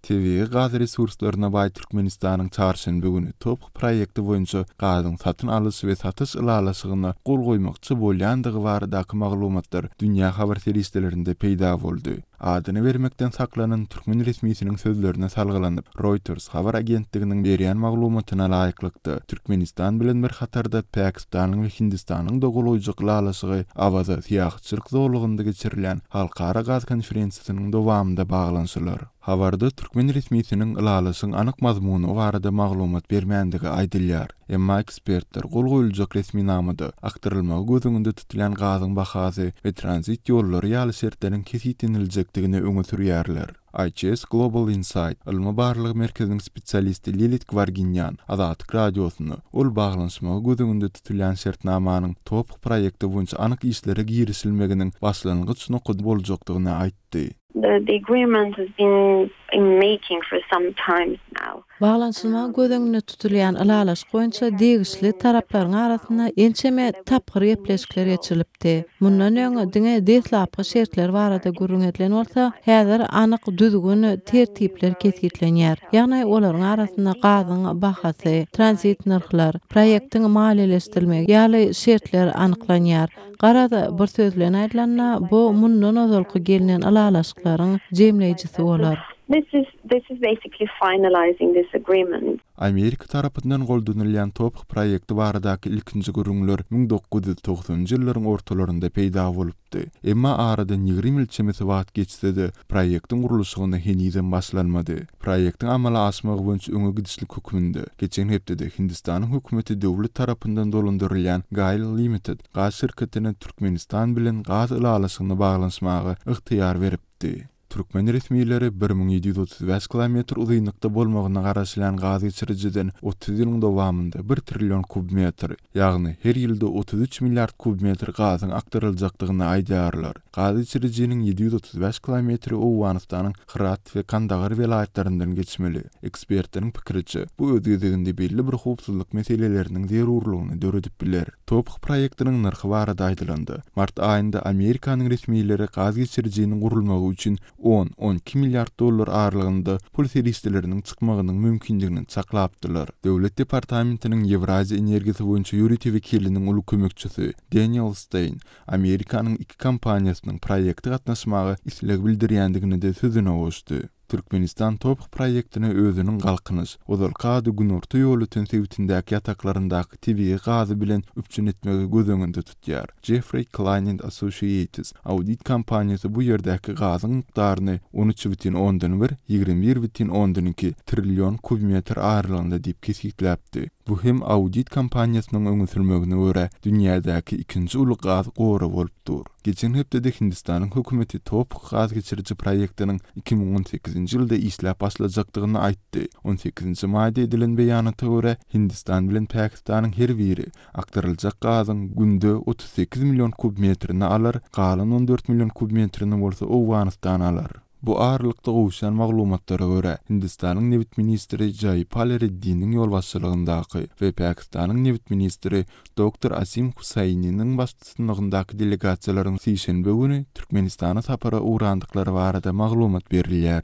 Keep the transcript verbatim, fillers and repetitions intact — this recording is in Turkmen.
Tebigy gaz resurslaryna baý Türkmenistanyň çarşenbe güni TOPH proýekti boýunça gazyň satyn alyş we satyş ylalaşygyna gol goýmakçy bolýandygy baradaky maglumatlar dünýä habar serişdelerinde peýda boldy. Adyny bermekden saklanan türkmen resmisiniň sözlerine salgylanyp, Reuters habar agentliginiň berýän maglumatyna laýyklykda, Türkmenistan bilen bir hatarda Pakistanyň we Hindistanyň-da gol goýjak ylalaşygy Awaza syýahatçylyk zolagynda geçirilýän halkara gaz konferensiýasynyň dowamynda baglanyşylar. Habarda türkmen resmisiniň ylalaşygyň anyk mazmuny barada maglumat bermändigi aýdylýar. Emma ekspertler gol goýuljak resminamada akdyrylmagy göz öňünde tutulýan gazyň bahasy we tranzit ýollary ýaly şertleriň kesgitleniljekdigini öňe sürýärler. I H S Global Insight ylmy barlag merkeziniň spesialisti Lilit Gwarginýan Azatlyk Radiosyna ol baglanyşmagy göz öňünde tutulýan şertnamanyň TOPH proýekti boýunça anyk işlere girişilmeginiň başlangyç nokady boljakdygyny aýtdy. The, the agreement has been in making for some time now. Baglanyşylmagy göz öňünde tutulýan ylalaşyk boýunça degişli taraplaryň arasynda ençeme tapgyr gepleşikler geçirilipdi. Mundan öň diňe deslapky şertler barada gürrüň edilen bolsa, häzir anyk düzgün tertipler kesgitlenýär. Ýagny olaryň arasynda gazyň bahasy, tranzit nyrhlar, proýektiň maliýeleşdirilmegi ýaly şertler anyklanýar. Garaz, bir söz bilen aýdylanda, bu mundan ozalky gelnen ylalaşyklaryň jemleýjisi bolar. This is this is basically finalizing this agreement. Amerika tarapyndan goldanylýan TOPH proýekti baradaky ilkinji gürrüňler müň dokuz ýüz togsanynjy ýyllaryň ortalarynda peýda bolupdy. Emma aradan ýigrimi ýyl çemesi wagt geçse-de, proýektiň gurluşygyna henizem başlanmady. Proýektiň amala aşmagy boýunça öňe gidişlik hökmünde geçen hepdede Hindistanyň hökümeti döwlet tarapyndan dolandyrylýan GAIL Limited gaz şirketine Türkmenistan bilen gaz ylalaşygyny baglanyşmaga ygtyýar beripdi. Türkmen resmileri bir müň ýedi ýüz otuz bäş kilometr uzynlykda bolmagyna garaşylýan gaz geçirijiden otuz ýylyň dowamynda bir trillion kub metr, ýagny her ýylda otuz üç milliard kub metr gazyň akdyryljakdygyny aýdýarlar. Gaz geçirijiniň ýedi ýüz otuz bäş kilometri Owganystanyň Hyrat we Kandahar welaýatlaryndan geçmeli. Ekspertleriň pikiriçe, bu öz gezeginde belli bir howpsuzlyk meseleleriniň zerurlygyny döredip biler. TOPH proýektiniň nyrhy barada aýdylanda, mart aýynda Amerikanyň resmileri gaz geçirijiniň gurulmagy üçin on on iki milliard dollar aralygynda pul serişdeleriniň çykmagynyň mümkindigini çaklapdylar. Döwlet departamentiniň Ýewraziýa energiýasy boýunça ýörite wekiliniň uly kömekçisi Daniel Stein Amerikanyň iki kompaniýasynyň proýekte gatnaşmaga isleg bildirýändigini de sözüne goşdy. Türkmenistan TOPH proýektine özüniň Galkynyş, ozalky ady Günorta Ýolöten sebitindäki ýataklaryndaky tebigy gazy bilen üpjün etmegi göz öňünde tutýar. Jeffrey Klein Associates audit kompaniýasy bu ýerdäki gazyň mukdaryny on üç bütin ondan bir ýigrimi bir bütin ondan iki trillion kub metr aralygynda diýip kesgitläpdi. Bu hem audit kompaniýasynyň öňe sürmegine görä dünýädäki ikinji uly gaz gory bolup dur. Geçen hepdede Hindistanyň hökümeti TOPH gaz geçiriji proýektiniň iki müň on sekizinji ýylda işläp başlajakdygyny aýtdy. on sekizinji maýda edilen beýanata görä, Hindistan bilen Pakistanyň her biri akdyryljak gazyň günde otuz sekiz million kub metrini alar, galan on dört million kub metrini bolsa Owganystan alar. Bu aralykda gowuşan maglumatlara görä, Hindistanyň nebit ministri Jaýpal Reddiniň ýolbaşçylygyndaky we Pakistanyň nebit ministri Doktor Asim Husaýniniň baştutanlygyndaky delegasiýalaryň sişenbe güni Türkmenistana sapara ugrandyklary barada maglumat berilýär.